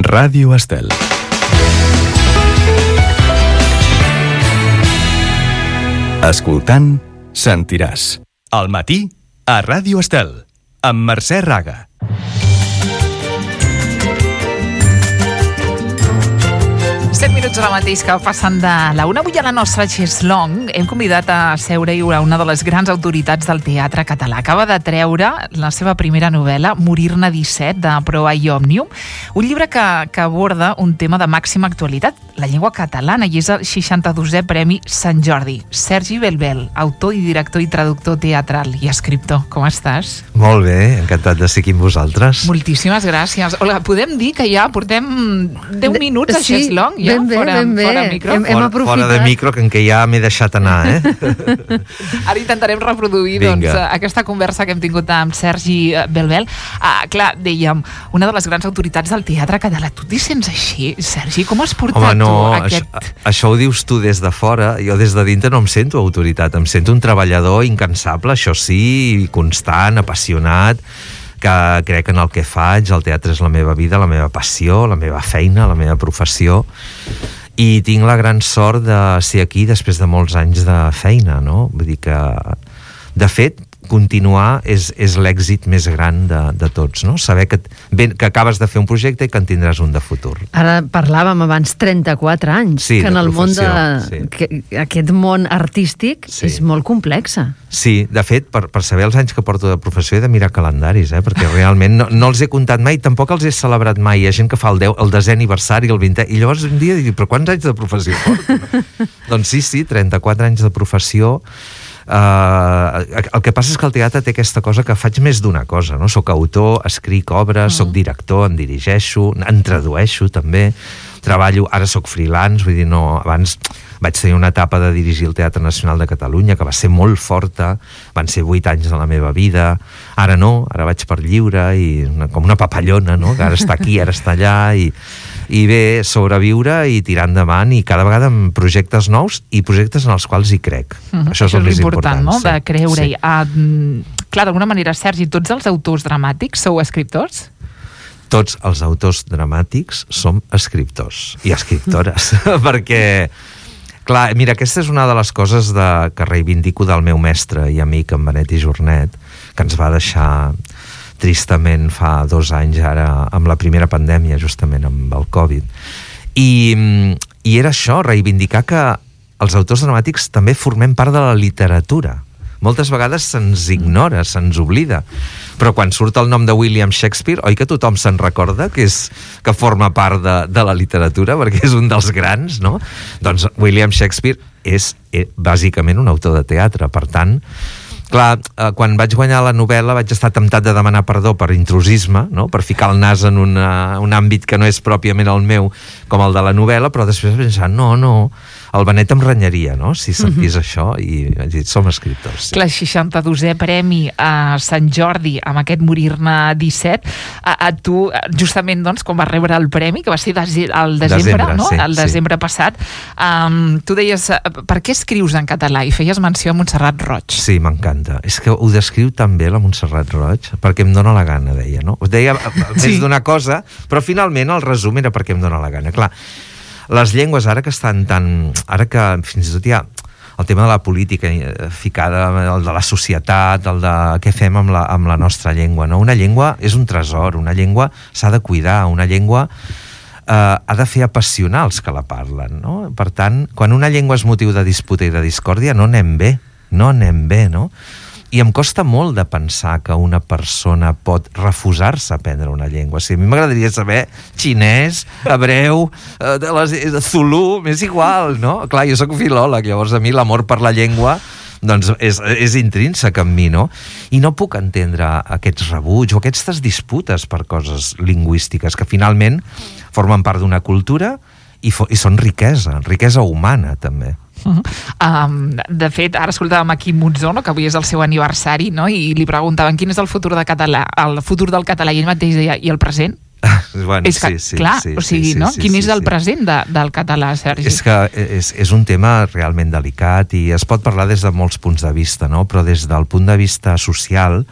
Ràdio Estel. Escoltant, sentiràs. Al matí, a Ràdio Estel, amb Mercè Raga. Minuts ara mateix que passen de la una. Avui a la nostra Cheslong hem convidat a seure-hi una de les grans autoritats del teatre català. Acaba de treure la seva primera novel·la, Morir-ne 17, de Proa i Òmnium, un llibre que aborda un tema de màxima actualitat, la llengua catalana, i és el 62è Premi Sant Jordi. Sergi Belbel, autor i director i traductor teatral i escriptor. Com estàs? Molt bé, encantat de ser aquí amb vosaltres. Moltíssimes gràcies. Olga, podem dir que ja portem 10 minuts a Cheslong? Ja? Fora micro. Hem aprofitat. Fora de micro, que en què ja m'he deixat anar, Ara intentarem reproduir aquesta conversa que hem tingut amb Sergi Belbel. Clar, dèiem, una de les grans autoritats del teatre català. Tu t'hi sents així, Sergi? Com has portat això ho dius tu des de fora. Jo des de dintre no em sento autoritat, em sento un treballador incansable, això sí, constant, apassionat, que crec en el que faig. El teatre és la meva vida, la meva passió, la meva feina, la meva professió, i tinc la gran sort de ser aquí després de molts anys de feina, no? Vull dir que, de fet, continuar és l'èxit més gran de tots, no? Saber que acabes de fer un projecte i que en tindràs un de futur. Ara parlàvem abans 34 anys, sí, que en el món aquest món artístic és molt complexa. Sí, de fet, per saber els anys que porto de professió he de mirar calendaris, perquè realment no els he comptat mai, tampoc els he celebrat mai. Hi ha gent que fa el 10è aniversari, el 20è, i llavors un dia dic, però quants anys de professió porto? Doncs sí, 34 anys de professió. El que passa és que el teatre té aquesta cosa que faig més d'una cosa, no? Soc autor, escric obres, soc director, en dirigeixo, en tradueixo també, treballo, ara soc freelance, vull dir, no, abans vaig tenir una etapa de dirigir el Teatre Nacional de Catalunya que va ser molt forta, van ser 8 anys de la meva vida, ara no, ara vaig per lliure i com una papallona, no? Que ara està aquí, ara està allà, i bé, sobreviure i tirar endavant, i cada vegada amb projectes nous i projectes en els quals hi crec. Això és el més important, no? De creure-hi. Clar, d'alguna manera, Sergi, tots els autors dramàtics sou escriptors? Tots els autors dramàtics som escriptors i escriptores, perquè, clar, mira, aquesta és una de les coses que reivindico del meu mestre i amic, en Benet i Jornet, que ens va deixar tristament fa 2 anys ara, amb la primera pandèmia, justament amb el Covid. I era això, reivindicar que els autors dramàtics també formem part de la literatura. Moltes vegades se'ns ignora, se'ns oblida, però quan surt el nom de William Shakespeare, oi que tothom se'n recorda que forma part de la literatura, perquè és un dels grans, no? Doncs William Shakespeare és bàsicament un autor de teatre, per tant, clar, quan vaig guanyar la novel·la vaig estar temptat de demanar perdó per intrusisme, no? Per ficar el nas en un àmbit que no és pròpiament el meu, com el de la novel·la, però després vaig pensar, no, el Benet em renyaria, no?, si sentís això, i vaig dir, som escriptors. Sí. Clar, 62è Premi a Sant Jordi, amb aquest Morir-ne 17, a tu, justament, doncs, quan vas rebre el premi, que va ser al desembre, no? Sí, el desembre passat, tu deies, per què escrius en català? I feies menció a Montserrat Roig. Sí, m'encanta. És que ho descriu tan bé la Montserrat Roig, perquè em dóna la gana, deia, no? Deia més d'una cosa, però finalment el resum era perquè em dóna la gana. Clar, les llengües ara que estan tan... Ara que fins i tot hi ha el tema de la política ficada, el de la societat, el de què fem amb la nostra llengua, no? Una llengua és un tresor, una llengua s'ha de cuidar, una llengua ha de fer apassionar els que la parlen, no? Per tant, quan una llengua és motiu de disputa i de discòrdia, no anem bé, no? I em costa molt de pensar que una persona pot refusar-se a aprendre una llengua. O sigui, a mi m'agradaria saber xinès, hebreu, zulú, m'és igual, no? Clar, jo soc filòleg, llavors a mi l'amor per la llengua doncs és intrínsec en mi, no? I no puc entendre aquests rebuig o aquestes disputes per coses lingüístiques que finalment formen part d'una cultura i són riquesa humana, també. De fet, ara escoltàvem aquí Monzó, no? Que avui és el seu aniversari, no? I li preguntaven quin és el futur del català, i ell mateix deia, i el present? Bueno, és que, clar, o sigui, no? Quin és el present del català, Sergi? És que és un tema realment delicat i es pot parlar des de molts punts de vista, no? Però des del punt de vista social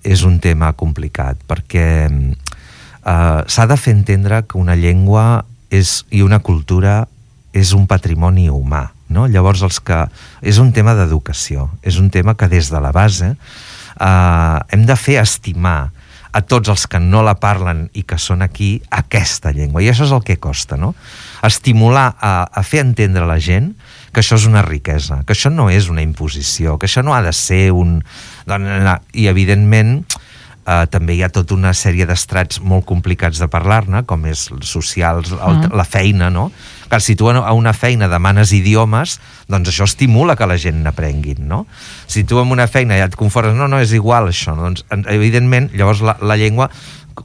és un tema complicat, perquè s'ha de fer entendre que una llengua i una cultura és un patrimoni humà, no? Llavors és un tema d'educació, és un tema que des de la base hem de fer estimar a tots els que no la parlen i que són aquí aquesta llengua, i això és el que costa, no? Estimular a fer entendre a la gent que això és una riquesa, que això no és una imposició, que això no ha de ser i evidentment també hi ha tota una sèrie d'estrats molt complicats de parlar-ne, com és socials, la feina, no? Que si tu a una feina demanes idiomes, doncs això estimula que la gent n'aprenguin, no? Si tu en una feina ja et conformes, no, és igual això, no? Doncs evidentment llavors la llengua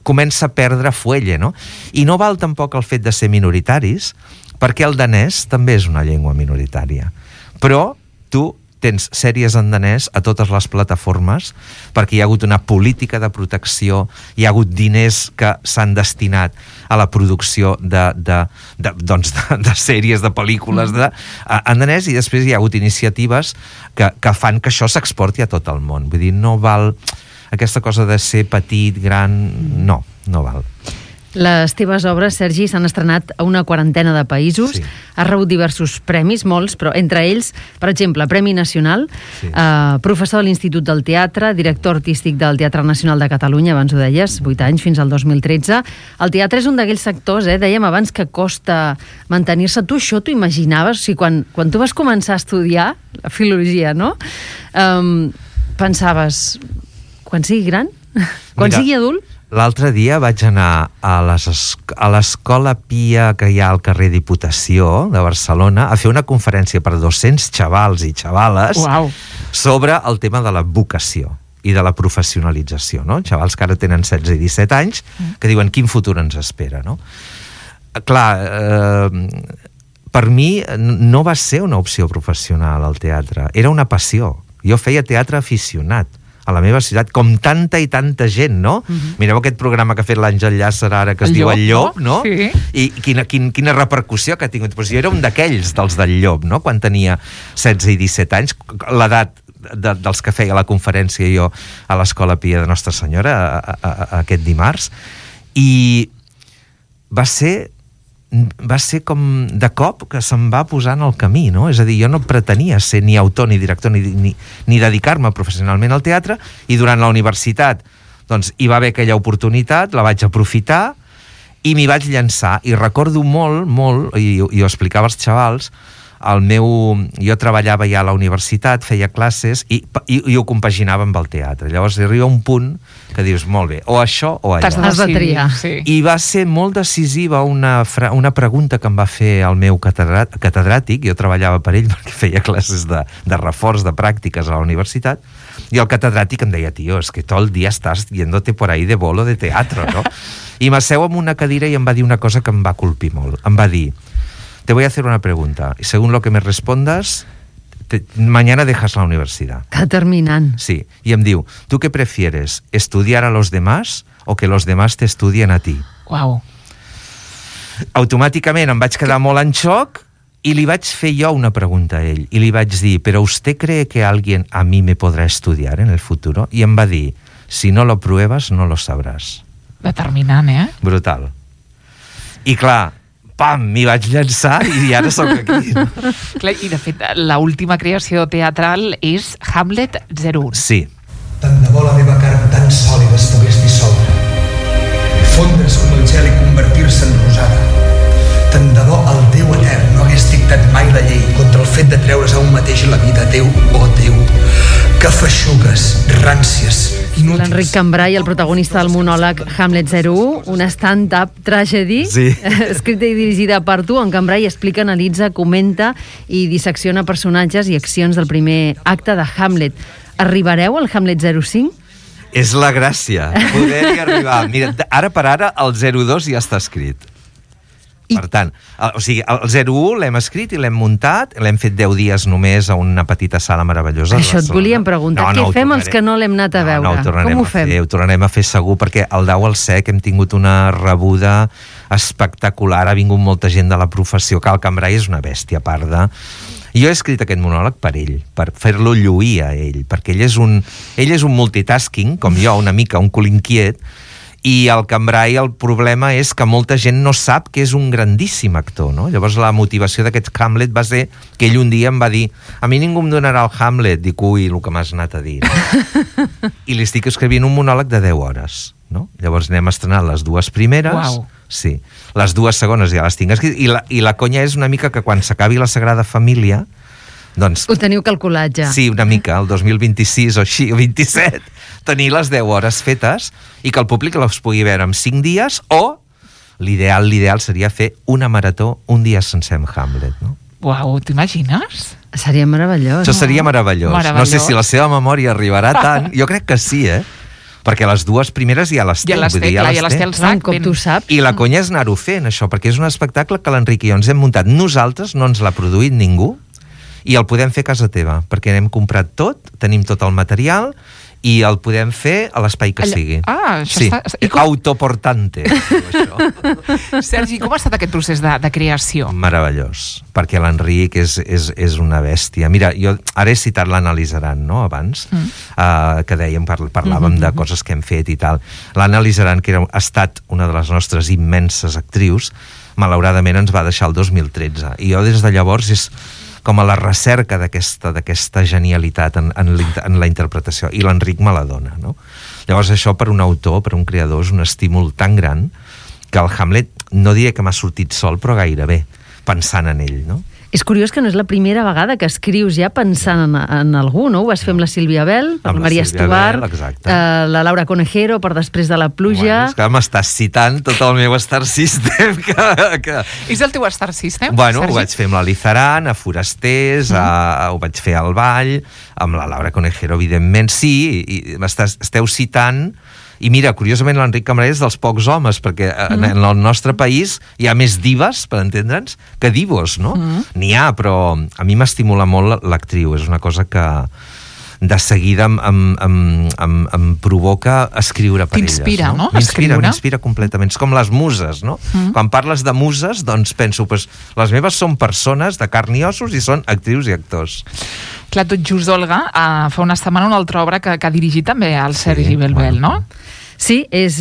comença a perdre fuelle, no? I no val tampoc el fet de ser minoritaris, perquè el danès també és una llengua minoritària. Però tu tens sèries en danès a totes les plataformes perquè hi ha hagut una política de protecció, hi ha hagut diners que s'han destinat a la producció de sèries, de pel·lícules en danès, i després hi ha hagut iniciatives que fan que això s'exporti a tot el món. Vull dir, no val aquesta cosa de ser petit, gran, no val. Les teves obres, Sergi, s'han estrenat a una quarantena de països, has rebut diversos premis, molts, però entre ells, per exemple, Premi Nacional, professor de l'Institut del Teatre, director artístic del Teatre Nacional de Catalunya, abans ho deies, 8 anys, fins al 2013. El teatre és un d'aquells sectors, dèiem abans, que costa mantenir-se. Tu això t'ho imaginaves? O sigui, quan tu vas començar a estudiar la filologia, no? Pensaves, quan sigui gran? Quan sigui adult? L'altre dia vaig anar a l'Escola Pia que hi ha al carrer Diputació de Barcelona a fer una conferència per 200 xavals i xavales sobre el tema de la vocació i de la professionalització, no? Xavals que ara tenen 16 i 17 anys que diuen quin futur ens espera, no? Clar, per mi no va ser una opció professional el teatre, era una passió. Jo feia teatre aficionat a la meva ciutat, com tanta i tanta gent, no? Mireu aquest programa que ha fet l'Àngel Llàcer ara, que es diu El Llop, no? Sí. I quina repercussió que ha tingut. Pues jo era un d'aquells, dels del Llop, no? Quan tenia 16 i 17 anys, l'edat dels que feia la conferència jo a l'Escola Pia de Nostra Senyora aquest dimarts, i va ser com de cop que se'm va posar en el camí, no? És a dir, jo no pretenia ser ni autor ni director ni dedicar-me professionalment al teatre, i durant la universitat doncs hi va haver aquella oportunitat, la vaig aprofitar i m'hi vaig llançar, i recordo molt, i ho explicava als xavals, jo treballava ja a la universitat, feia classes i ho compaginava amb el teatre. Llavors arriba un punt que dius, molt bé, o això o allò. Has de triar. Sí. I va ser molt decisiva una pregunta que em va fer el meu catedràtic, jo treballava per ell perquè feia classes de reforç de pràctiques a la universitat, i el catedràtic em deia, tio, es que todo el día estás yéndote por ahí de bolo de teatro, no? I m'asseu en una cadira i em va dir una cosa que em va colpir molt. Em va dir, te voy a hacer una pregunta y según lo que me respondas, mañana dejas la universidad. Determinant. Sí, y em diu, ¿tú qué prefieres? ¿Estudiar a los demás o que los demás te estudien a ti? Uau. Automàticament em vaig quedar molt en xoc i li vaig fer jo una pregunta a ell. I li vaig dir, ¿pero usted cree que alguien a mí me podrá estudiar en el futuro? I em va dir, si no lo pruebas, no lo sabrás. Determinant, Brutal. I clar, pam, m'hi vaig llançar i ara sóc aquí. Clar, i de fet, l'última creació teatral és Hamlet 01. Sí. Tant de bo la meva carn tan sòlida es pogués dissoldre, fondre's com el gel i convertir-se en rosada. Tant de bo el Déu etern no hagués dictat mai la llei contra el fet de treure's a un mateix la vida. Déu, oh Déu, que feixugues, ràncies, inútils. L'Enric Cambray, el protagonista del monòleg Hamlet 01, una stand-up tragedy, escrita i dirigida per tu, on Cambray explica, analitza, comenta i dissecciona personatges i accions del primer acte de Hamlet. Arribareu al Hamlet 05? És la gràcia, poder-hi arribar. Mira, ara per ara el 02 ja està escrit. Per tant, o sigui, el 01 l'hem escrit i l'hem muntat, l'hem fet 10 dies només a una petita sala meravellosa. Això et volíem preguntar, què fem els que no l'hem anat a veure? Com ho fem? Ho tornarem a fer segur, perquè al Dau al Sec hem tingut una rebuda espectacular, ha vingut molta gent de la professió, que el Cambray és una bèstia a part de... Jo he escrit aquest monòleg per ell, per fer-lo lluir a ell, perquè ell és un multitasking, com jo, una mica, un cul inquiet, I el Cambrai, el problema és que molta gent no sap que és un grandíssim actor, no? Llavors la motivació d'aquest Hamlet va ser que ell un dia em va dir: a mi ningú em donarà el Hamlet. Dic, ui, el que m'has anat a dir, no? I li estic escrivint un monòleg de 10 hores, no? Llavors n'hem estrenat les 2 primeres. Uau. Sí. Les 2 segones ja les tinc escrites. I la conya és una mica que quan s'acabi la Sagrada Família, doncs... Ho teniu calculat ja. Sí, una mica, el 2026 o així, o 27, tenir les 10 hores fetes i que el públic les pugui veure en 5 dies, o l'ideal seria fer una marató un dia sencer amb Hamlet, no? Uau, t'imagines? Seria meravellós. Això seria meravellós. Meravellós. No sé si la seva memòria arribarà tant. Jo crec que sí, perquè les 2 primeres ja les té. Ja les té, clar, ja les té el Un sac. cop tu saps. I la conya és anar-ho fent, això, perquè és un espectacle que l'Enric i jo ens hem muntat nosaltres, no ens l'ha produït ningú, i el podem fer a casa teva, perquè n'hem comprat tot, tenim tot el material, i el podem fer a l'espai que sigui. Això sí. està... Autoportante. Sergi, com ha estat aquest procés de creació? Meravellós, perquè l'Enric és una bèstia. Mira, jo ara he citat l'Analitzaran, no?, abans, que dèiem, parlàvem de coses que hem fet i tal. L'Analitzaran, que ha estat una de les nostres immenses actrius, malauradament ens va deixar el 2013. I jo des de llavors és com a la recerca d'aquesta genialitat en la interpretació, i l'Enric me la dona, no? Llavors això per un autor, per un creador, és un estímul tan gran que el Hamlet no diré que m'ha sortit sol, però gairebé, pensant en ell, no? És curiós que no és la primera vegada que escrius ja pensant en algú, no? Ho vas fer amb la Sílvia Bell, per la Maria Estobar, la Laura Conejero, per Després de la pluja... Bueno, és que m'estàs citant tot el meu Star System. És el teu Star System, Bueno, Sergi? ho vaig fer amb l'Alizaran, a Forasters, ho vaig fer al Vall, amb la Laura Conejero, evidentment. Sí, i esteu citant... I mira, curiosament l'Enric Cambrai és dels pocs homes, perquè en el nostre país hi ha més dives, per entendre'ns, que divos, no? N'hi ha, però a mi m'estimula molt l'actriu. És una cosa que de seguida em provoca escriure per elles. T'inspira, no? M'inspira completament. És com les muses, no? Quan parles de muses, doncs penso, pues, les meves són persones de carn i ossos i són actrius i actors. Clar, tot just, Olga, fa una setmana una altra obra que ha dirigit també el Sergi Belbel, no? Sí, és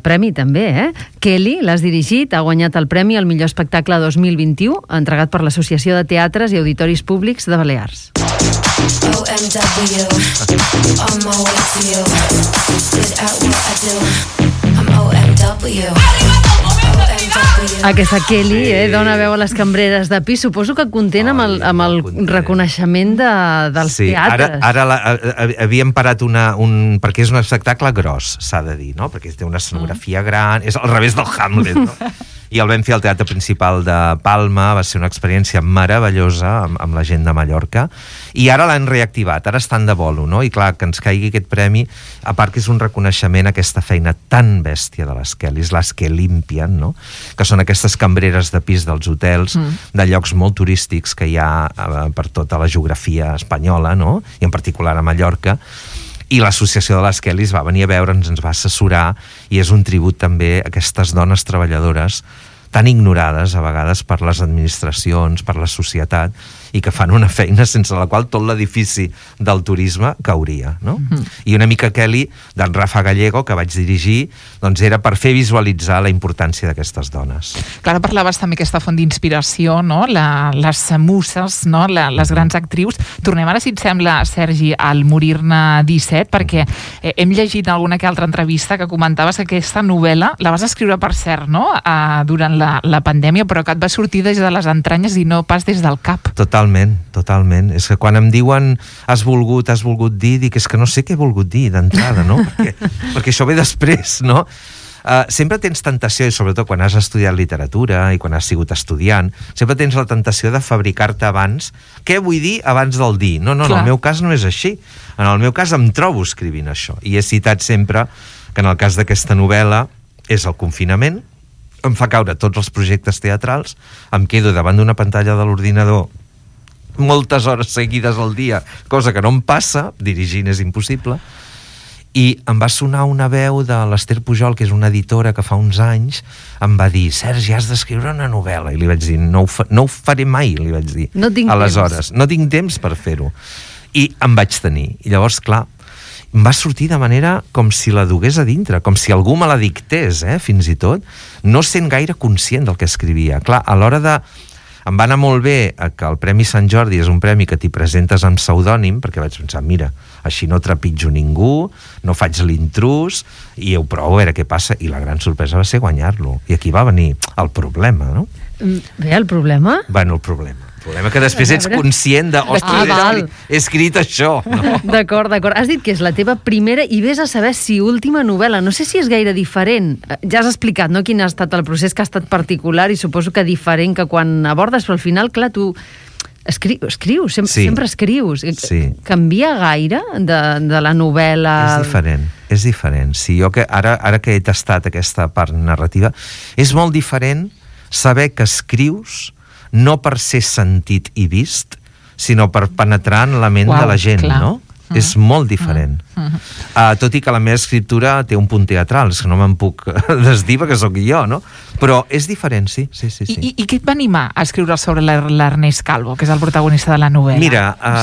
premi també, Kelly, l'has dirigit, ha guanyat el premi al millor espectacle 2021, entregat per l'Associació de Teatres i Auditoris Públics de Balears. OMW, on my way to you. Good at what I do. I'm OMW. Aquesta Kelly dona veu a les cambreres de pis. Suposo que content amb el reconeixement dels teatres. Ara havíem parat perquè és un espectacle gros, s'ha de dir, no? Perquè té una escenografia gran, és al revés del Hamlet, no? I el vam fer al Teatre Principal de Palma, va ser una experiència meravellosa amb la gent de Mallorca, i ara l'han reactivat, ara estan de bolo, no? I clar, que ens caigui aquest premi, a part que és un reconeixement a aquesta feina tan bèstia de les Kellys, les que limpien, no? Que són aquestes cambreres de pis dels hotels, de llocs molt turístics que hi ha per tota la geografia espanyola, no? I en particular a Mallorca. I l'Associació de les Kellys va venir a veure'ns, ens va assessorar, i és un tribut també a aquestes dones treballadores tan ignorades a vegades per les administracions, per la societat, i que fan una feina sense la qual tot l'edifici del turisme cauria, no? I una mica Kelly, d'en Rafa Gallego, que vaig dirigir, doncs era per fer visualitzar la importància d'aquestes dones. Clar, parlaves també aquesta font d'inspiració, no? Les muses, no? Les grans actrius. Tornem ara, si et sembla, Sergi, al Morir-ne 17, perquè hem llegit en alguna que altra entrevista que comentaves que aquesta novel·la la vas escriure, per cert, no? Durant la pandèmia, però que et va sortir des de les entranyes i no pas des del cap. Totalment. És que quan em diuen has volgut dir, dic, és que no sé què he volgut dir d'entrada, no? perquè això ve després, no? Sempre tens tentació, i sobretot quan has estudiat literatura i quan has sigut estudiant, sempre tens la tentació de fabricar-te abans què vull dir abans del dir. No, en el meu cas no és així. En el meu cas em trobo escrivint això. I he citat sempre que en el cas d'aquesta novel·la és el confinament, em fa caure tots els projectes teatrals, em quedo davant d'una pantalla de l'ordinador moltes hores seguides al dia, cosa que no em passa, dirigint és impossible, i em va sonar una veu de l'Ester Pujol, que és una editora que fa uns anys, em va dir, Sergi, has d'escriure una novel·la, i li vaig dir, no ho faré mai, li vaig dir. No tinc aleshores, no tinc temps per fer-ho. I em vaig tenir, i llavors, clar, em va sortir de manera com si la dugués a dintre, com si algú me la dictés, fins i tot, no sent gaire conscient del que escrivia. Clar, a l'hora de... Em va anar molt bé que el Premi Sant Jordi és un premi que t'hi presentes amb pseudònim, perquè vaig pensar, mira, així no trepitjo ningú, no faig l'intrús, i ho provo a veure què passa, i la gran sorpresa va ser guanyar-lo. I aquí va venir el problema, no? Bé, el problema? Bueno, el problema que després ets conscient de, ostres, he escrit això, no? D'acord. Has dit que és la teva primera i vés a saber si última novel·la. No sé si és gaire diferent. Ja has explicat, no?, quin ha estat el procés, que ha estat particular i suposo que diferent que quan abordes, però al final, clar, tu escrius, sempre escrius. Sí. Canvia gaire de la novel·la? És diferent. Sí, jo que ara que he tastat aquesta part narrativa, és molt diferent saber que escrius no per ser sentit i vist, sinó per penetrar en la ment de la gent, clar. No? És molt diferent. Tot i que la meva escriptura té un punt teatral, és que no me'n puc desdir perquè sóc jo, no? Però és diferent, sí. I què et va animar a escriure sobre l'Ernest Calvo, que és el protagonista de la novel·la? Mira,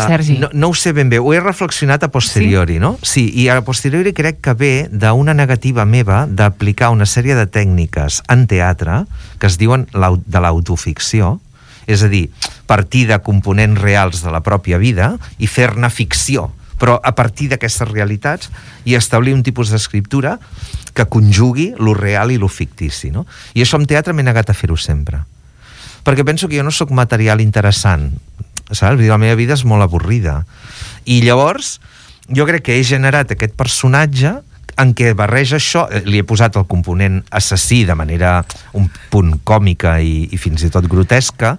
Sergi. No ho sé ben bé, ho he reflexionat a posteriori, no? Sí, i a posteriori crec que ve d'una negativa meva d'aplicar una sèrie de tècniques en teatre que es diuen de l'autoficció, és a dir, partir de components reals de la pròpia vida i fer-ne ficció, però a partir d'aquestes realitats i establir un tipus d'escriptura que conjugui lo real i lo fictici, no? I això en teatre m'he negat a fer-ho sempre. Perquè penso que jo no sóc material interessant, saps? La meva vida és molt avorrida. I llavors, jo crec que he generat aquest personatge en què barreja això, li he posat el component assassí de manera un punt còmica i fins i tot grotesca,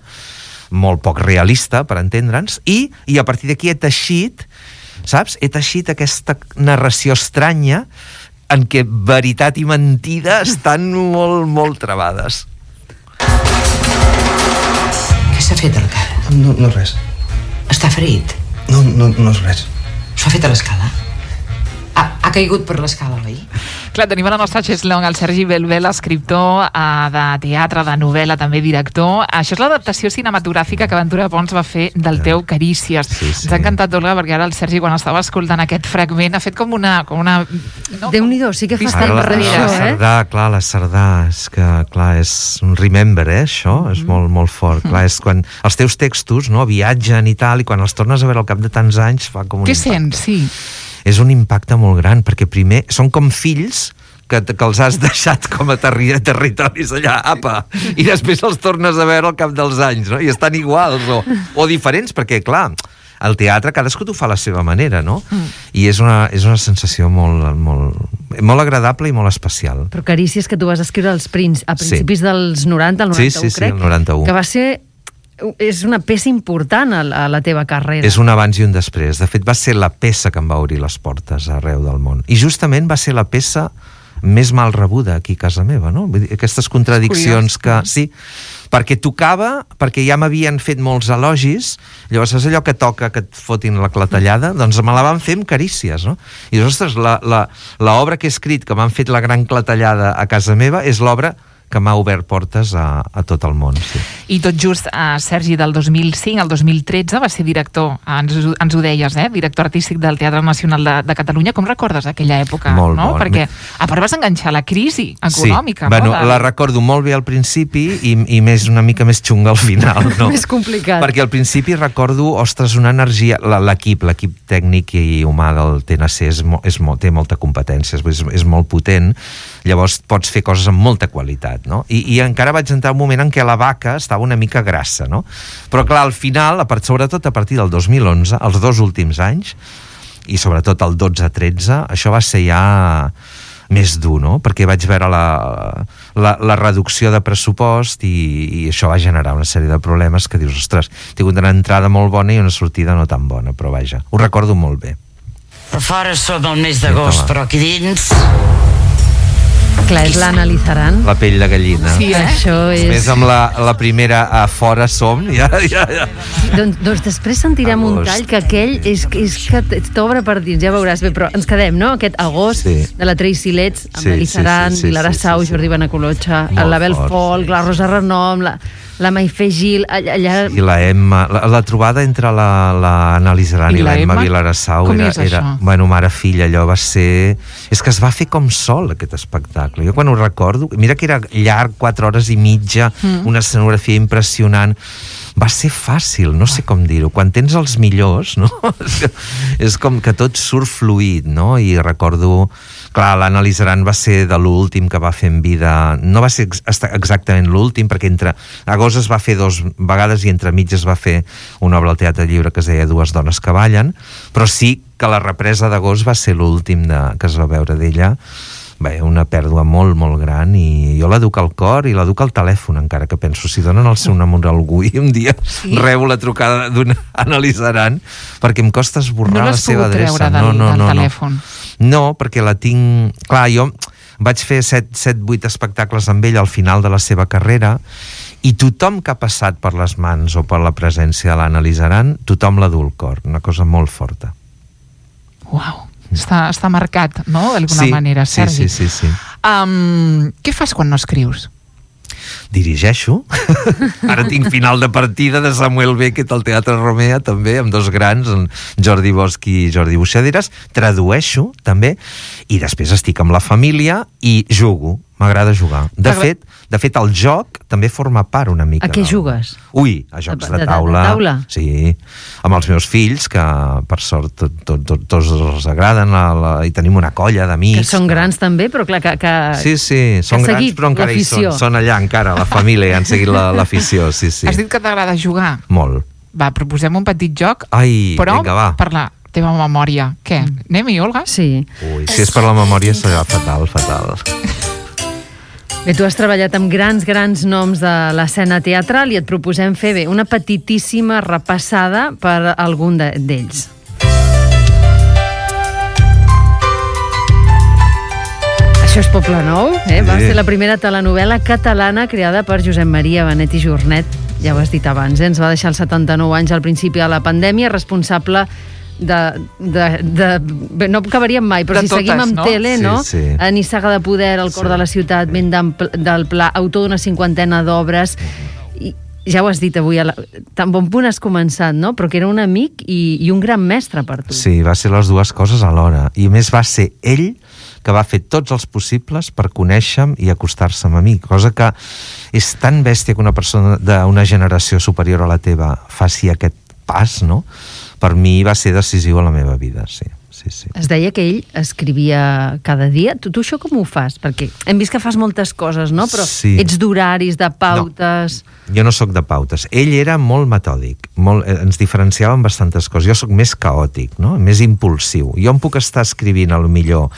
molt poc realista, per entendre'ns, i a partir d'aquí he teixit, saps? He teixit aquesta narració estranya en què veritat i mentida estan molt, molt travades. Què s'ha fet al cap? No res. Està ferit? No és res. S'ho ha fet a l'escala? Ha caigut per l'escala, oi? Clar, tenim a la nostra Cheslong el Sergi Belbel, escriptor de teatre, de novel·la, també director. Això és l'adaptació cinematogràfica que Ventura Pons va fer del teu Carícies. Sí. Ens ha encantat, Olga, perquè ara el Sergi, quan estava escoltant aquest fragment, ha fet com una no? Déu-n'hi-do, sí que fa estar darrere això, la Cerdà, és que, clar, és un remember, això, és molt, molt fort. Clar, és quan els teus textos, no, viatgen i tal, i quan els tornes a veure al cap de tants anys, fa com un Què impacte. sents? Sí. És un impacte molt gran, perquè primer són com fills que els has deixat com a territoris allà, apa, i després els tornes a veure al cap dels anys, no? I estan iguals o diferents, perquè, clar, al teatre cadascú t'ho fa a la seva manera, no? I és una sensació molt agradable i molt especial. Però Carícies, que tu vas escriure a principis dels 90, el 91, crec, el 91. Que va ser... És una peça important a la teva carrera. És un abans i un després. De fet, va ser la peça que em va obrir les portes arreu del món. I justament va ser la peça més mal rebuda aquí a casa meva, no? Vull dir, aquestes contradiccions que... Sí, perquè tocava, perquè ja m'havien fet molts elogis, llavors és allò que toca que et fotin la clatellada, doncs me la van fer amb Carícies, no? I ostres, l'obra que he escrit, que m'han fet la gran clatellada a casa meva, és l'obra que m'ha obert portes a tot el món. Sí. I tot just, Sergi, del 2005 al 2013 va ser director, ens ho deies, director artístic del Teatre Nacional de Catalunya. Com recordes aquella època? Molt no? bon. Perquè a part vas enganxar la crisi econòmica. Sí, bueno, la recordo molt bé al principi i una mica més xunga al final. No? Més complicat. Perquè al principi recordo, ostres, una energia... L'equip tècnic i humà del TNC té molta competència, és molt potent, llavors pots fer coses amb molta qualitat, no? I encara vaig entrar un moment en què la vaca estava una mica grassa, no? Però clar, al final, sobretot a partir del 2011, els 2 últims anys, i sobretot el 12-13, això va ser ja més dur, no? Perquè vaig veure la reducció de pressupost i això va generar una sèrie de problemes que dius, ostres, he tingut una entrada molt bona i una sortida no tan bona, però vaja, ho recordo molt bé. Per fora som el mes d'agost, però aquí dins... Clar, és l'analitzaran. La pell de gallina. Sí, Això és... Més amb la primera a fora som, ja. Doncs després sentirem un tall que aquell és que t'obre per dins, ja veuràs bé, però ens quedem, no? Aquest agost de la Tracy Letts, amb l'Elizaran, Vilara Sau, Jordi Benacolotxa, l'Abel Folk, la Rosa Renom, la Maifé Gil, allà... I la Emma, la trobada entre la Lizaran i la Emma Vilarassau era bueno, mare-filla, allò va ser... És que es va fer com sol, aquest espectacle. Jo quan ho recordo, mira que era llarg, 4 hores i mitja, una escenografia impressionant, va ser fàcil, no sé com dir-ho. Quan tens els millors, no? És com que tot surt fluid, no? I recordo... Clar, l'Anna Lizaran va ser de l'últim que va fer en vida... No va ser exactament l'últim, perquè entre agost es va fer 2 vegades i entre mitges va fer una obra al Teatre Lliure que es deia Dues dones que ballen, però sí que la represa d'agost va ser l'últim que es va veure d'ella. Bé, una pèrdua molt, molt gran, i jo l'educ al cor i l'educ al telèfon, encara que penso, si donen el seu nom a algú i un dia rebo la trucada d'una Anna Lizaran, perquè em costa esborrar la seva adreça. No l'has pogut treure del telèfon? No, perquè la tinc... Clar, jo vaig fer 7-8 espectacles amb ell al final de la seva carrera, i tothom que ha passat per les mans o per la presència de l'Anna Lizaran, tothom l'ha dut al cor, una cosa molt forta. Uau! Està marcat, no?, d'alguna manera, Sergi. Sí. Què fas quan no escrius? Dirigeixo. Ara tinc final de partida de Samuel Beckett al Teatre Romea, també, amb 2 grans, Jordi Bosch i Jordi Buixaderes. Tradueixo, també, i després estic amb la família i jugo. M'agrada jugar. De fet, el joc també forma part una mica. A què jugues? Ui, a jocs de taula. De taula? Sí, amb els meus fills, que per sort tots els agraden, i tenim una colla d'amics. Que són grans també, però clar que sí, són grans, però encara hi són. Són allà encara, la família, han seguit l'afició, sí. Has dit que t'agrada jugar? Molt. Va, proposem un petit joc, però vinga, va. Per la teva memòria. Què? Anem-hi, Olga? Sí. Ui, si és per la memòria serà fatal. Bé, tu has treballat amb grans noms de l'escena teatral i et proposem fer una petitíssima repassada per algun d'ells. Això és Poble Nou, va ser la primera telenovel·la catalana creada per Josep Maria Benet i Jornet, ja ho has dit abans, ens va deixar als 79 anys al principi de la pandèmia, responsable no acabaríem mai, però si seguim amb tele, no? A Nissaga de Poder, El cor de la ciutat, Vent del Pla, autor d'una 50ena d'obres, i ja ho has dit avui, tan bon punt has començat, no? Però que era un amic i un gran mestre per tu. Sí, va ser les dues coses alhora, i a més va ser ell que va fer tots els possibles per conèixer-me i acostar-se a mi, cosa que és tan bèstia que una persona d'una generació superior a la teva faci aquest pas, no? Per mi va ser decisiu a la meva vida, sí. Es deia que ell escrivia cada dia. Tu això com ho fas? Perquè hem vist que fas moltes coses, no? Però ets d'horaris, de pautes... No, jo no sóc de pautes. Ell era molt metòdic, ens diferenciava en bastantes coses. Jo sóc més caòtic, no? Més impulsiu. Jo em puc estar escrivint, a lo millor,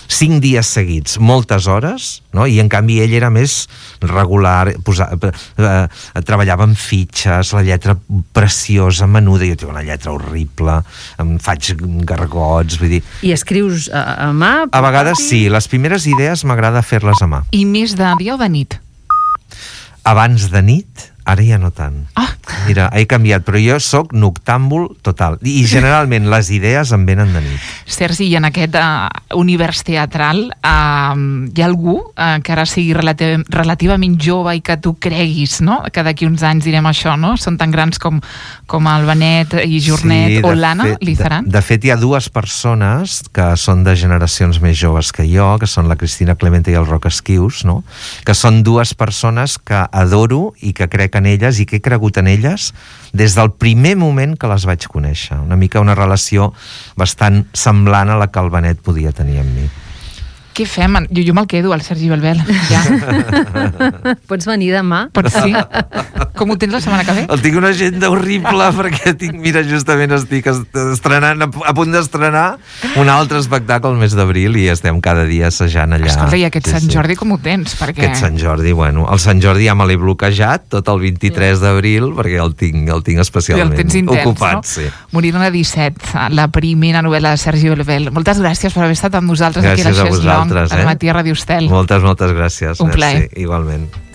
5 dies seguits, moltes hores, no? I en canvi ell era més regular, treballava amb fitxes, la lletra preciosa, menuda, jo tinc una lletra horrible, em faig gargots, vull dir... I escrius a mà? A vegades sí, les primeres idees m'agrada fer-les a mà. I més de dia o de nit? Abans de nit, ara ja no tant. Mira, he canviat, però jo sóc noctàmbul total. I generalment les idees em venen de nit. Sergi, i en aquest univers teatral hi ha algú que ara sigui relativament jove i que tu creguis, no? Que d'aquí uns anys direm això, no? Són tan grans com el Benet i Jornet o l'Anna Lizaran? De fet, hi ha 2 persones que són de generacions més joves que jo, que són la Cristina Clemente i el Roc Esquius, no? Que són 2 persones que adoro i que crec en elles i que he cregut en elles des del primer moment que les vaig conèixer. Una mica una relació bastant semblant a la que el Benet podia tenir amb mi. Què fem? Jo me'l quedo, el Sergi Belbel. Ja. Pots venir demà? Pots, sí. Com ho tens la setmana que ve? El tinc una agenda horrible perquè mira, justament estic estrenant, a punt d'estrenar un altre espectacle el mes d'abril i estem cada dia assajant allà. Escolta, i aquest Sant Jordi com ho tens? Perquè... Aquest Sant Jordi, bueno, el Sant Jordi ja me l'he bloquejat tot el 23 d'abril perquè el tinc especialment ocupat. No? Sí. Morirona 17, la primera novel·la de Sergi Belbel. Moltes gràcies per haver estat amb nosaltres aquí a la Xeslong, al Matí a Ràdio Estel. Moltes gràcies. Un plaer. Igualment.